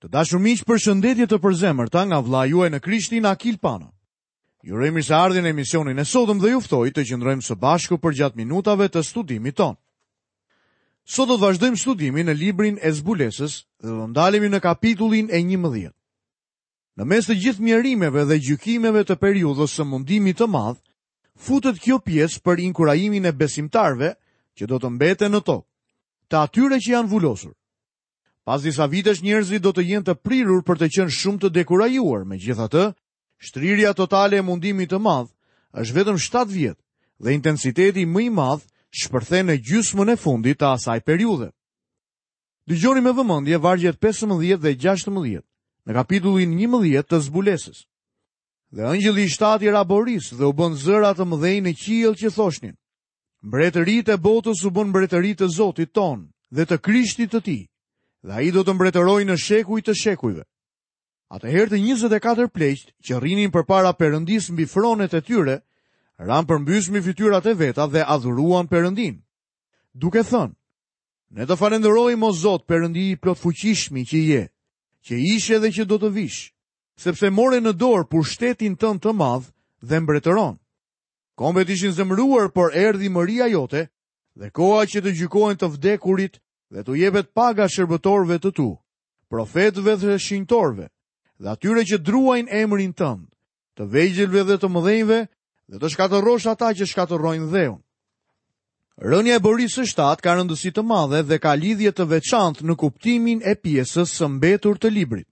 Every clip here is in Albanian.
Të dashur miq, përshëndetje të përzemërta nga vëllai juaj në Krishtin Akil Pano. Ju uroj mirëseardhjen në emisionin e sotëm dhe ju ftoj të qëndrojmë së bashku përgjatë minutave të studimit tonë. Sot do të vazhdojmë studimin në librin e Zbulesës dhe do ndalemi në kapitullin e 11. Në mes të gjithë mjerimeve dhe gjykimeve të periudhës së mundimit të madh, futet kjo pjesë për inkurajimin e besimtarëve që do të mbeten në tokë, të atyre që janë vulosur. Pas disa vitesh njerëzit do të jenë të prirur për të qenë shumë të dekurajuar, megjithatë, shtrirja totale e mundimit të madh është vetëm 7 vjet dhe intensiteti më i madh shpërthen në gjysmën e fundit të asaj periudhe. Dëgjoni me vëmendje vargjet 15 dhe 16 në kapitullin 11 të Zbulesës. Dhe engjëlli i shtatë i ra borisë dhe u bënë zëra të mëdhenj në qiell që thoshnin: Mbretëritë e botës u bënë mbretëri të Zotit tonë dhe të Krishtit të tij, dhe ai do të mbretërojë në shekuj të shekujve. Atëherë të 24 pleqtë që rrinin përpara Perëndisë mbi fronet e tyre, ranë përmbys mbi fytyrat e veta dhe adhuruan Perëndinë, duke thënë, Ne të falënderojmë o Zot, Perëndi i plotfuqishmi që je, që ishe dhe që do të vish, sepse more në dorë pushtetin tënd të madh dhe mbretëron. Kombet ishin zemëruar, por erdhi mëria jote dhe koha që të gjykohen të vdekurit dhe t'u jepet paga shërbëtorëve të tu, profetëve dhe shenjtorëve, dhe atyre që druajnë emrin tënd, të vegjëlve dhe të mëdhenjve, dhe të shkatërrosh ata që shkatërrojnë dheun. Rënia e borisë së shtatë ka rëndësi të madhe dhe ka lidhje të veçantë në kuptimin e pjesës së mbetur të librit.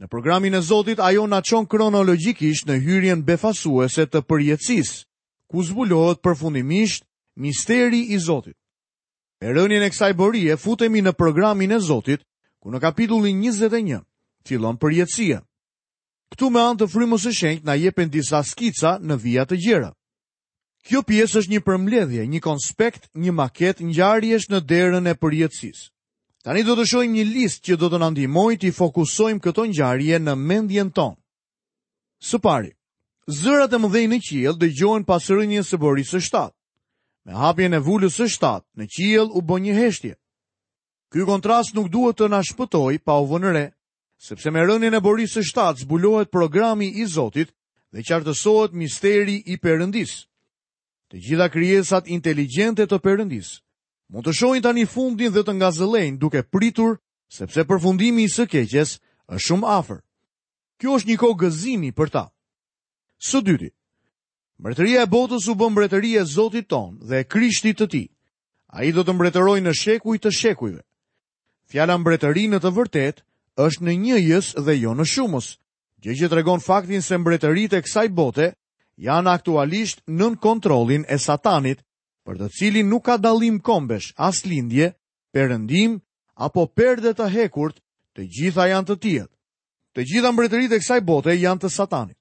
Në programin e Zotit ajo na çon kronologjikisht në hyrjen befasuese të përjetësisë, ku zbulohet përfundimisht misteri i Zotit. Me rënien e kësaj borie futemi në programin e Zotit, ku në kapitullin 21 fillon përjetësia. Këtu me anë të frymës së shenjtë na jepen disa skica në vija të gjera. Kjo pjesë është një përmbledhje, një konspekt, një maket ngjarjesh në derën e përjetësisë. Tani do të shohim një listë që do të na ndihmojë t'i fokusojmë këto ngjarje në mendjen tonë. Së pari, zërat e mëdhenj në qiell dëgjohen pas rënies së borisë së shtatë. Me hapjen e vulës së shtatë, në qiell u bë një heshtje. Ky kontrast nuk duhet të na shpëtojë pa u vënë re, sepse me rënien e borisë së shtatë zbulohet programi i Zotit dhe qartësohet misteri i Perëndisë. Të gjitha krijesat inteligjente të Perëndisë mund të shohin tani fundin dhe të ngazëllejnë duke pritur sepse përfundimi i së keqes është shumë afër. Kjo është një kohë gëzimi për ta. Së dyti, mbretëria e botës u bë mbretëri e Zotit tonë dhe e Krishtit të tij. Ai do të mbretërojë në shekuj të shekujve. Fjala mbretëri në të vërtetë është në njëjës dhe jo në shumës, gjë që tregon faktin se mbretëritë e kësaj bote janë aktualisht nën kontrollin e Satanit, për të cilin nuk ka dallim kombesh, as lindje, perëndim apo perde të hekurt, të gjitha janë të tijat. Të gjitha mbretëritë e kësaj bote janë të Satanit.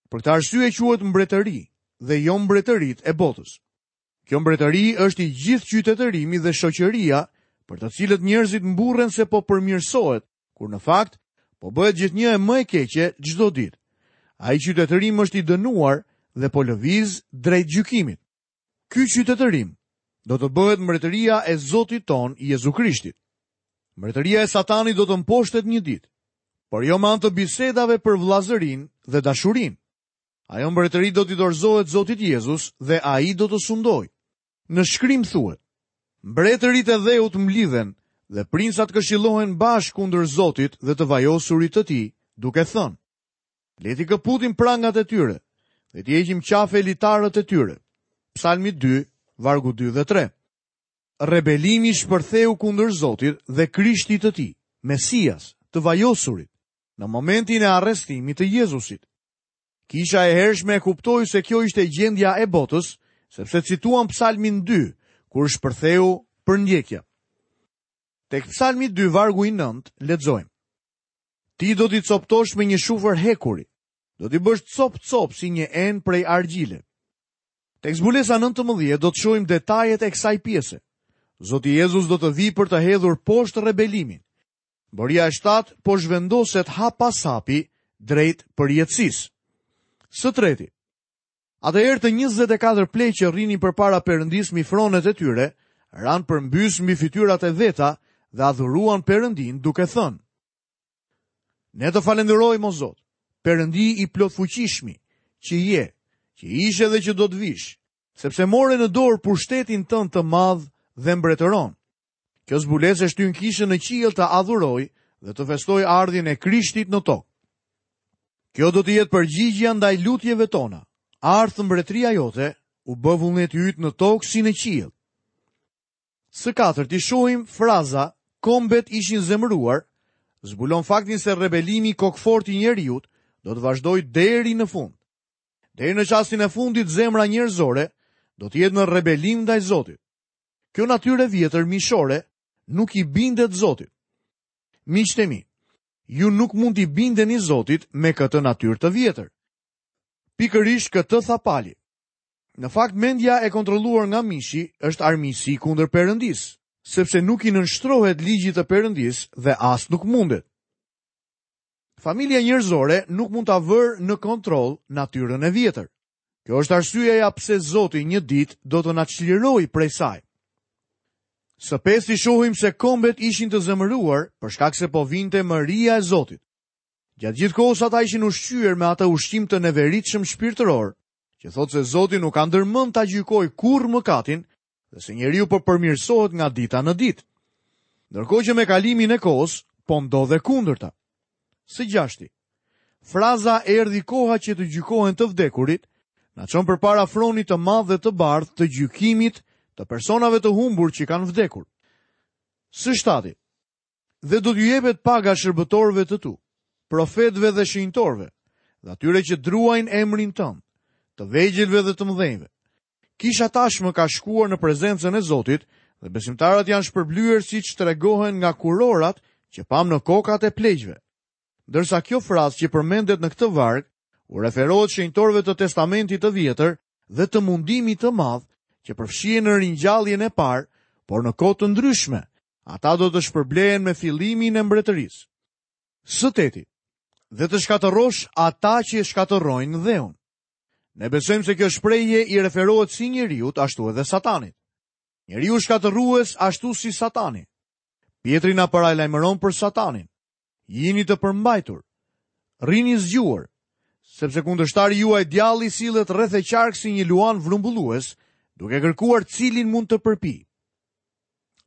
Për këtë arsye quhet mbretëri dhe jo mbretëritë e botës. Kjo mbretëri është i gjithë qytetërimi dhe shoqëria për të cilët njerëzit mburren se po përmirësohet, kur në fakt po bëhet gjithnjë e më e keqe çdo ditë. Ai qytetërim është i dënuar dhe po lëviz drejt gjykimit. Ky qytetërim do të bëhet mbretëria e Zotit tonë Jezu Krishtit. Mbretëria e Satanit do të mposhtet një ditë, por jo me anë të bisedave për vëllazërinë dhe dashurinë. Ajo mbretëri do t'i dorëzohet Zotit Jezus dhe ai do të sundojë. Në shkrim thuhet: Mbretërit e dheut mblidhen dhe princat këshillohen bashkë kundër Zotit dhe të vajosurit të tij, duke thënë: Le t'i këputim prangat e tyre dhe t'i heqim qafe litarët e tyre. Psalmi 2, vargu 2 dhe 3. Rebelimi shpërtheu kundër Zotit dhe Krishtit të tij, Mesias, të vajosurit, në momentin e arrestimit të Jezusit. Kisha e hershme e kuptoi se kjo ishte gjendja e botës, sepse cituan Psalmin 2, kur shpërtheu përndjekja. Tek Psalmi 2 vargu i 9 lexojmë. Ti do t'i copëtosh me një shufër hekuri, do t'i bësh copë-copë si një enë prej argjile. Tek zbulesa 19 do të shohim detajet e kësaj pjese. Zoti Jezus do të vijë për të hedhur poshtë rebelimin. Boria e shtatë po zhvendoset hap pas hapi drejt përjetësisë. Së treti, atëherë të 24 pleq që rrinin përpara Perëndisë mbi fronet e tyre, ranë përmbys mbi fytyrat e veta dhe adhuruan Perëndinë duke thënë. Ne të falënderojmë o Zot, Perëndi i plotfuqishmi, që je, që ishe dhe që do të vish, sepse more në dorë pushtetin tënd të madh dhe mbretëron. Kjo zbulesë e shtyn kishën në qiell të adhurojë dhe të festojë ardhjen e Krishtit në tokë. Kjo do të jetë përgjigja ndaj lutjeve tona. Ardhtë mbretëria jote, u bëftë vullneti yt në tokë si në qiell. Së katërti shohim fraza kombet ishin zemëruar, zbulon faktin se rebelimi kokëfortë i njeriut do të vazhdojë deri në fund. Deri në çastin e fundit zemra njerëzore do të jetë në rebelim ndaj Zotit. Kjo natyrë e vjetër mishore nuk i bindet Zotit. Miqtë e mi, ju nuk mund t'i bindeni Zotit me këtë natyrë të vjetër. Pikërisht këtë tha Pali. Në fakt mendja e kontrolluar nga mishi është armiqësi kundër Perëndisë, sepse nuk i nënshtrohet ligjit të Perëndisë dhe as nuk mundet. Familja njerëzore nuk mund ta vërë në kontroll natyrën e vjetër. Kjo është arsyeja pse Zoti një ditë do të na çlirojë prej saj. Së pesti shohim se kombet ishin të zemëruar për shkak se po vinte mëria e Zotit. Gjatë gjithë kohës ata ishin ushqyer me atë ushqim të neveritshëm shpirtëror, që thotë se Zoti nuk ka ndërmend ta gjykojë kurrë mëkatin dhe se njeriu po përmirësohet nga dita në ditë. Ndërkohë që me kalimin e kohës po ndodh e kundërta. Së gjashti, fraza erdhi koha që të gjykohen të vdekurit, na çon përpara fronit të madh dhe të bardhë të gjykimit të personave të humbur që kanë vdekur. Së shtati, Dhe do t'ju jepet paga shërbëtorëve të tu, profetëve dhe shenjtorëve, dhe atyre që druajnë emrin tënd, të vegjëlve dhe të mëdhenjve. Kisha tashmë ka shkuar në prezencën e Zotit dhe besimtarët janë shpërblyer siç tregohen nga kurorat që pamë në kokat e pleqve. Ndërsa kjo frazë që përmendet në këtë varg u referohet shenjtorëve të Testamentit të Vjetër dhe të mundimit të madh që përfshihen në ringjalljen e parë, por në kohë të ndryshme, Ata do të shpërblehen me fillimin e mbretërisë. Së teti, dhe të shkatërrosh ata që shkatërrojnë dheun. Ne besojmë se kjo shprehje i referohet si njeriut, ashtu edhe Satanit. Njeriu shkatërrues ashtu si Satani. Pjetri na paralajmëron për Satanin. Jini të përmbajtur. Rrini zgjuar, sepse kundërshtari juaj djalli sillet rreth e qark si një luan vrumbullues, duke kërkuar cilin mund të përpijë.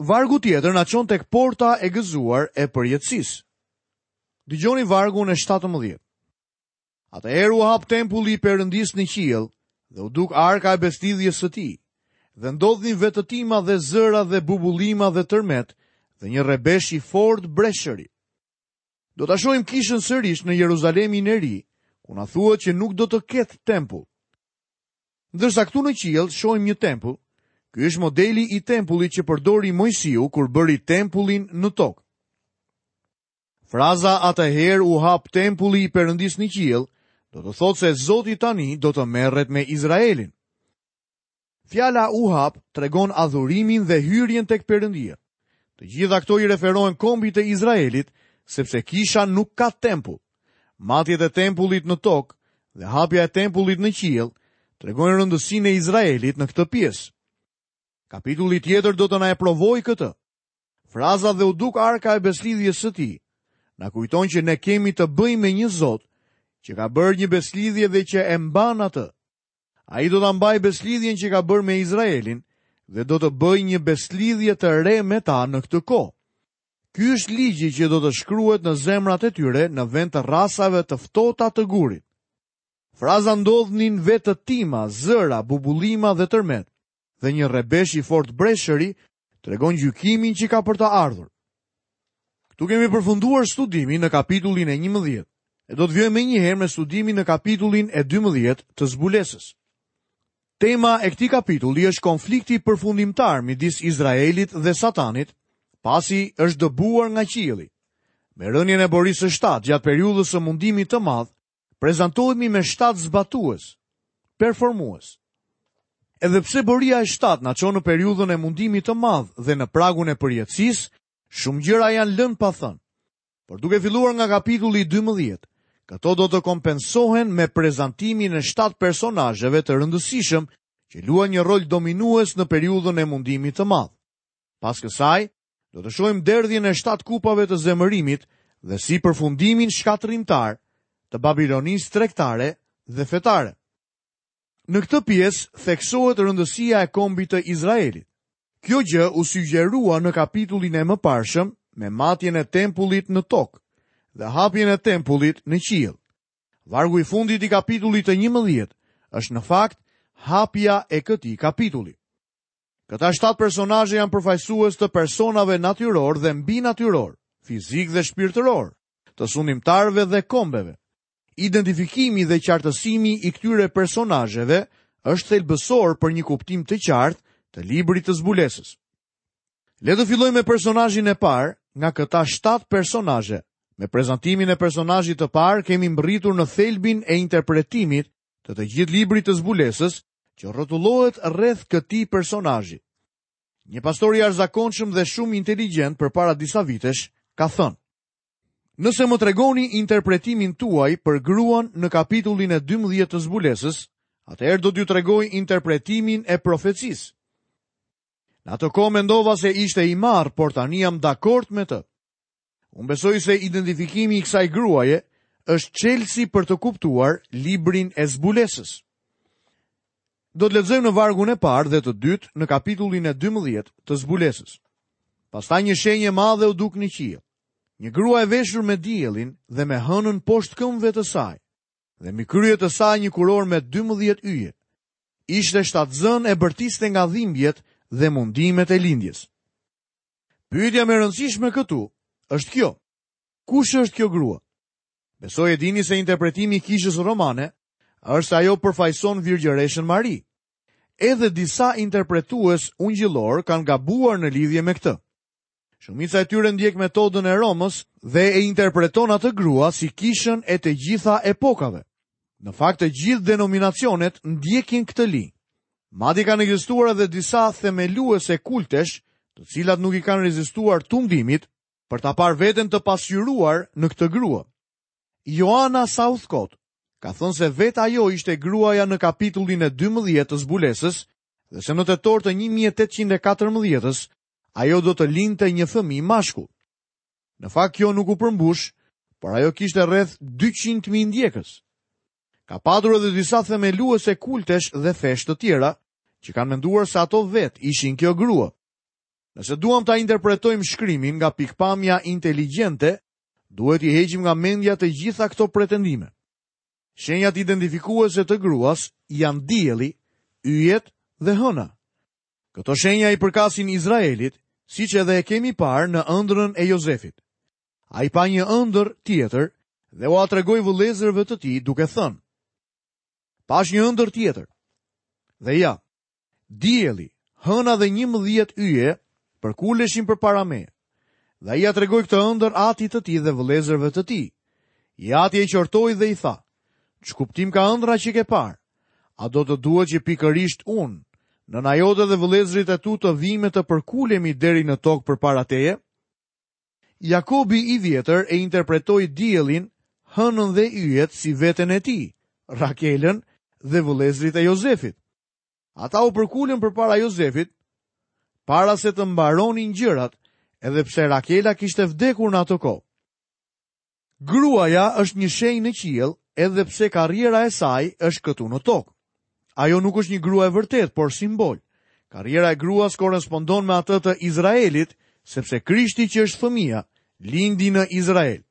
Vargu tjetër na çon tek porta e gëzuar e përjetësisë. Dëgjoni vargun e 17. Atëherë u hap tempulli i Perëndisë në qiell dhe u duk arka e besëlidhjes së tij. Dhe ndodhnin vetëtima dhe zëra dhe bubullima dhe tërmet dhe një rrebesh i fortë breshëri. Do ta shohim kishën sërish në Jeruzalemin e ri, ku na thuhet që nuk do të ketë tempull. Ndërsa këtu në qiell shohim një tempull, ky është modeli i tempullit që përdori Moisiu kur bëri tempullin në tokë. Fraza atëherë u hap tempulli i Perëndisë në qiell, do të thotë se Zoti tani do të merret me Izraelin. Fjala u hap tregon adhurimin dhe hyrjen tek Perëndia. Të gjitha këto i referohen kombit të Izraelit, sepse kisha nuk ka tempull. Matjet e tempullit në tokë dhe hapja e tempullit në qiell tregojnë rëndësinë e Izraelit në këtë pjesë. Kapitulli tjetër do të na e provojë këtë. Fraza dhe u duk arka e besëlidhjes së tij na kujton që ne kemi të bëjmë me një Zot që ka bërë një besëlidhje dhe që e mban atë. Ai do ta mbajë besëlidhjen që ka bërë me Izraelin dhe do të bëjë një besëlidhje të re me ta në këtë kohë. Ky është ligji që do të shkruhet në zemrat e tyre në vend të rrasave të ftohta të gurit. Fraza ndodhnin vetëtima, zëra, bubullima dhe tërmet, dhe një rrebesh i fortë breshëri tregon gjykimin që ka për të ardhur. Këtu kemi përfunduar studimin në kapitullin e 11. E do të vijojmë menjëherë me studimin në kapitullin e 12 të zbulesës. Tema e këtij kapitulli është konflikti përfundimtar midis Izraelit dhe Satanit, pasi është dëbuar nga qielli. Me rënien e borisë së shtatë gjatë periudhës së mundimit të madh, prezantohemi me shtatë zbatues, performues. Edhe pse boria e shtatë na çon në periudhën e mundimit të madh dhe në pragun e përjetësisë, shumë gjëra janë lënë pa thënë. Por duke filluar nga kapitulli 12, këto do të kompensohen me prezantimin e shtatë personazheve të rëndësishëm që luajnë një rol dominues në periudhën e mundimit të madh. Pas kësaj, do të shohim derdhjen e shtatë kupave të zemërimit dhe si përfundimin shkatërrimtar të Babilonisë tregtare dhe fetare. Në këtë pjesë theksohet rëndësia e kombit të Izraelit. Kjo gjë u sugjerua në kapitullin e mëparshëm me matjen e tempullit në tokë dhe hapjen e tempullit në qiell. Vargu i fundit i kapitullit të 11 është në fakt hapja e këtij kapitulli. Këta shtatë personazhe janë përfaqësues të personave natyrorë dhe mbinatyrorë, fizikë dhe shpirtërorë, të sundimtarëve dhe kombeve. Identifikimi dhe qartësimi i këtyre personazheve është thelbësor për një kuptim të qartë të librit të zbulesës. Le të fillojmë me personazhin e parë nga këta shtatë personazhe. Me prezantimin e personazhit të parë kemi mbërritur në thelbin e interpretimit të të gjithë librit të zbulesës që rrotullohet rreth këtij personazhi. Një pastor i jashtëzakonshëm dhe shumë inteligjent përpara disa vitesh ka thënë: Nëse më tregoni interpretimin tuaj për gruan në kapitullin e 12 të zbulesës, atëherë do t'ju tregoj interpretimin e profecisë. Në atë kohë mendova se ishte i marrë, por tani jam dakord me të. Unë besoj se identifikimi i kësaj gruaje është çelësi për të kuptuar librin e zbulesës. Do të lexojmë në vargun e parë dhe të dytë në kapitullin e 12 të zbulesës. Pastaj një shenjë e madhe u duk në qiell. Një grua e veshur me diellin dhe me hënën poshtë këmbëve të saj dhe mbi krye të saj një kurorë me 12 yje. Ishte shtatzënë e bërtiste nga dhimbjet dhe mundimet e lindjes. Pyetja më e rëndësishme këtu është kjo. Kush është kjo grua? Besoj e dini se interpretimi i kishës romane është se ajo përfaqëson Virgjëreshën Mari. Edhe disa interpretues ungjillorë kanë gabuar në lidhje me këtë. Shumica e tyre ndjek metodën e Romës dhe e interpreton atë grua si kishën e të gjitha epokave. Në fakt të gjithë denominacionet ndjekin këtë linjë. Madje kanë ekzistuar edhe disa themeluese kultesh, të cilat nuk i kanë rezistuar tundimit për ta parë veten të pasqyruar në këtë grua. Joanna Southcott ka thënë se vetë ajo ishte gruaja në kapitullin e 12 të zbulesës dhe se në tetor të 1814-ës ajo do të lindte një fëmijë mashkull. Në fakt kjo nuk u përmbush, por ajo kishte rreth 200.000 ndjekës. Ka patur edhe disa themeluese kultesh dhe fesh të tjera që kanë menduar se ato vetë ishin kjo grua. Nëse duam ta interpretojmë shkrimin nga pikëpamja inteligjente, duhet t'i heqim nga mendja të gjitha këto pretendime. Shenjat identifikuese të gruas janë dielli, yjet dhe hëna. Këto shenja i përkasin Izraelit, siç edhe e kemi parë në ëndrrën e Jozefit. Ai pa një ëndërr tjetër dhe ua tregoi vëllezërve të tij duke thënë: Pashë një ëndërr tjetër. Dhe ja, dielli, hëna dhe 11 yje përkuleshin përpara meje. Dhe ai ia tregoi këtë ëndërr atit të tij dhe vëllezërve të tij. I ati e qortoi dhe i tha: Ç'kuptim ka ëndrra që ke parë? A do të duhet që pikërisht unë, nëna jote dhe vëllezërit e tu të vijmë e të përkulemi deri në tokë përpara teje? Jakobi i vjetër e interpretoi diellin, hënën dhe yjet si veten e tij, Rakelën dhe vëllezërit e Jozefit. Ata u përkulën përpara Jozefit, para se të mbaronin gjërat, edhe pse Rakela kishte vdekur në atë kohë. Gruaja është një shenjë në qiell, edhe pse karriera e saj është këtu në tokë. Ajo nuk është një grua e vërtetë, por simbol. Karriera e gruas korrespondon me atë të Izraelit, sepse Krishti që është fëmija, lindi në Izrael.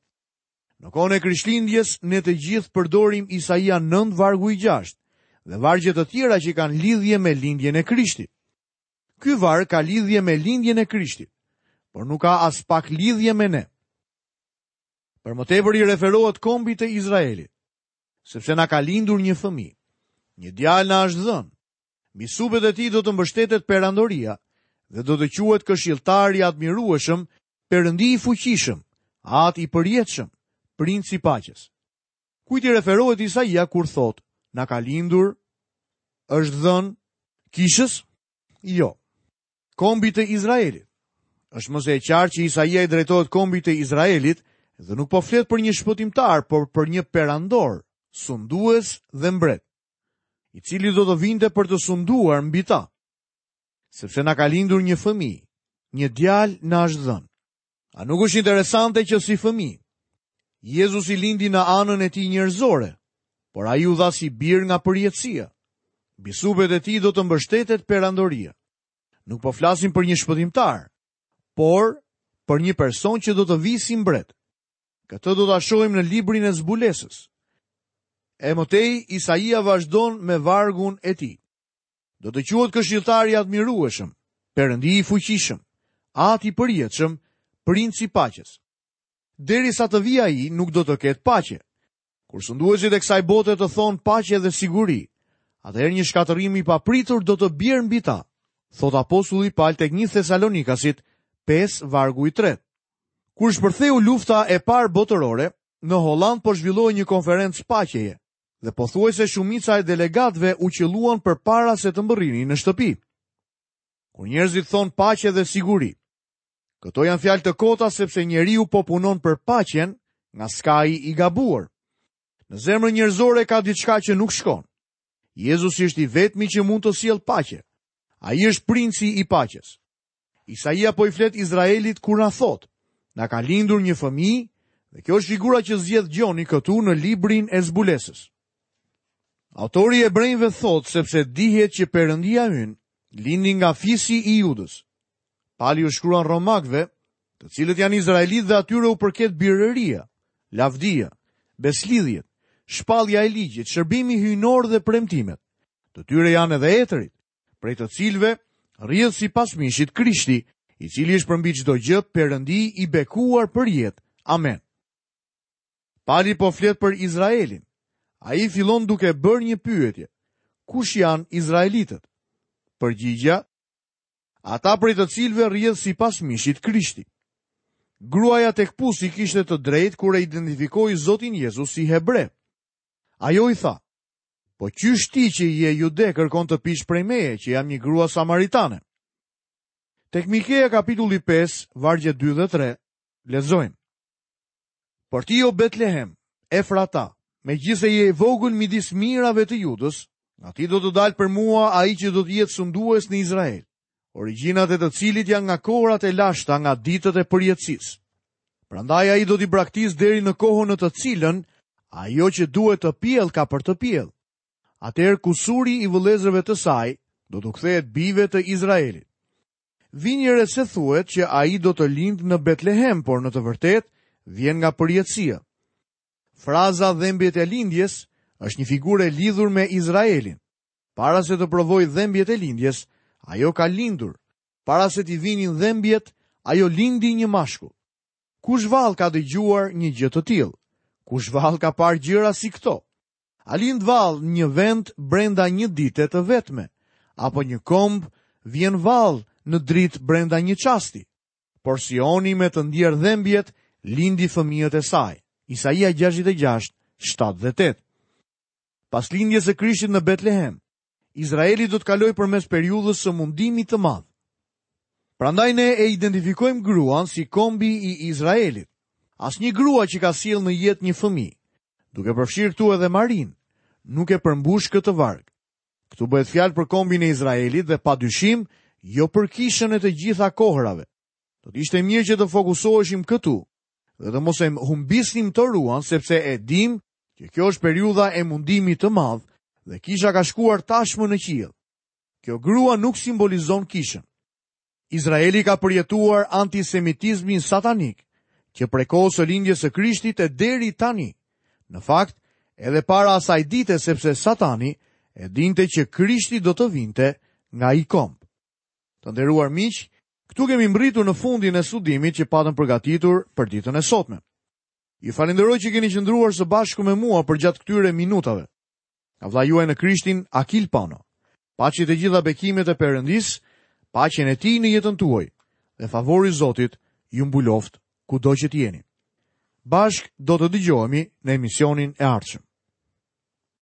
Në kohën e Krishtlindjes, ne të gjithë përdorim Isaia 9 vargu i 6 dhe vargje të tjera që kanë lidhje me lindjen e Krishtit. Ky varg ka lidhje me lindjen e Krishtit, por nuk ka aspak lidhje me ne. Për më tepër i referohet kombit të Izraelit, sepse na ka lindur një fëmijë. Një djalë na është dhënë. Mbi supet e tij do të mbështetet perandoria dhe do të quhet këshilltar i admirueshëm, Perëndi i fuqishëm, Atë i përjetshëm, Princ i paqes. Kujt i referohet Isaia kur thotë, na ka lindur, është dhënë kishës? Jo. Kombit të Izraelit. Është më se e qartë që Isaia i drejtohet kombit të Izraelit dhe nuk po flet për një shpëtimtar, por për një perandor, sundues dhe mbret, i cili do të vinte për të sunduar mbi ta. Sepse na ka lindur një fëmijë, një djalë na është dhënë. A nuk është interesante që si fëmijë? Jezusi lindi në anën e tij njerëzore, por ai u dha si bir nga përjetësia. Mbi supet e tij do të mbështetet perandoria. Nuk po flasim për një shpëtimtar, por për një person që do të vijë si mbret. Këtë do ta shohim në librin e zbulesës. E më tej, Isaia vazhdon me vargun e tij. Do të quhet këshilltar i admirueshëm, perëndi i fuqishëm, atë i përjetshëm, princ i paqes. Derisa të vijë ai, nuk do të ketë paqe. Kur sunduesit e kësaj bote të thonë paqe dhe siguri, atëherë një shkatërrim i papritur do të bjerë mbi ta, thotë apostulli Pal tek 1 Thesalonikasit 5 vargu i tretë. Kur shpërtheu lufta e parë botërore, në Hollandë po zhvillohej një konferencë paqeje dhe pothuajse shumica e delegatëve u qëlluan përpara se të mbërrinin në shtëpi. Kur njerëzit thonë paqe dhe siguri, Këto janë fjalë të kota sepse njeriu po punon për paqen nga skaji i gabuar. Në zemrën njerëzore ka diçka që nuk shkon. Jezusi është i vetmi që mund të sjellë paqe. Ai është princi i paqes. Isaia po i flet Izraelit kur na thotë, na ka lindur një fëmijë dhe kjo është figura që zgjedh Gjoni këtu në librin e zbulesës. Autori i Hebrenjve thotë sepse dihet që Perëndia ynë lindi nga fisi i Judës. Pali u shkruan romakëve, të cilët janë izraelitë dhe atyre u përket birëria, lavdia, besëlidhjet, shpallja e ligjit, shërbimi hyjnor dhe premtimet. Të tyre janë edhe etërit, prej të cilëve rrjedh sipas mishit Krishti, i cili është përmbi çdo gjë Perëndi i bekuar përjetë. Amen. Pali po flet për Izraelin. Ai fillon duke bërë një pyetje. Kush janë izraelitët? Përgjigja Ata prej të cilëve rrjedh sipas mishit Krishti. Gruaja tek pusi kishte të drejtë kur e identifikoi Zotin Jezus si hebre. Ajo i tha, po qysh ti që je jude kërkon të pish prej meje, që jam një grua samaritane. Tek Mikea kapitulli 5, vargjet 2 dhe 3, lexojmë. Por ti o Betlehem, Efrata, megjithëse je i vogël midis mijërave të Judës, nga ti do të dalë për mua ai që do të jetë sundues në Izrael, origjinat e të cilit janë nga kohërat e lashta, nga ditët e përjetësisë. Prandaj ai do t'i braktisë deri në kohën në të cilën ajo që duhet të pjellë ka për të pjellë. Atëherë kusuri i vëllezërve të saj do t'u kthehet bijve të Izraelit. Vini re se thuhet që ai do të lindë në Betlehem, por në të vërtetë vjen nga përjetësia. Fraza dhembjet e lindjes është një figurë e lidhur me Izraelin. Para se të provojë dhembjet e lindjes, ajo ka lindur. Para se t'i vinin dhembjet, ajo lindi një mashkull. Kush vallë ka dëgjuar një gjë të tillë? Kush vallë ka parë gjëra si këto? A lind vallë një vend brenda një dite të vetme, apo një komb vjen vallë në dritë brenda një çasti? Por Sioni me të ndier dhembjet lindi fëmijët e saj. Isaia 66, 7 dhe 8. Pas lindjes së Krishtit në Betlehem, Izraeli do të kalojë përmes periudhës së mundimit të madh. Prandaj ne e identifikojmë gruan si kombi i Izraelit. Asnjë grua që ka sjellë në jetë një fëmijë, duke përfshirë këtu edhe Marinë, nuk e përmbush këtë varg. Këtu bëhet fjalë për kombin e Izraelit dhe pa dyshim jo për kishën e të gjitha kohërave. Do të ishte mirë që të fokusoheshim këtu dhe të mos e humbisnim toruan sepse e dimë që kjo është periudha e mundimit të madh dhe kisha ka shkuar tashmë në qiell. Kjo grua nuk simbolizon kishën. Izraeli ka përjetuar antisemitizmin satanik, që prej kohës së lindjes së Krishtit e deri tani. Në fakt, edhe para asaj dite sepse Satani e dinte që Krishti do të vinte nga ai komb. Të nderuar miq, këtu kemi mbërritur në fundin e studimit që patëm përgatitur për ditën e sotme. Ju falenderoj që keni qëndruar së bashku me mua përgjatë këtyre minutave. Nga vëllai juaj në Krishtin, Akil Pano. Paçi të gjitha bekimet e Perëndisë, paqen e tij në jetën tuaj dhe favori i Zotit ju mbuloftë kudo që të jeni. Bashkë do të dëgjohemi në emisionin e ardhshëm.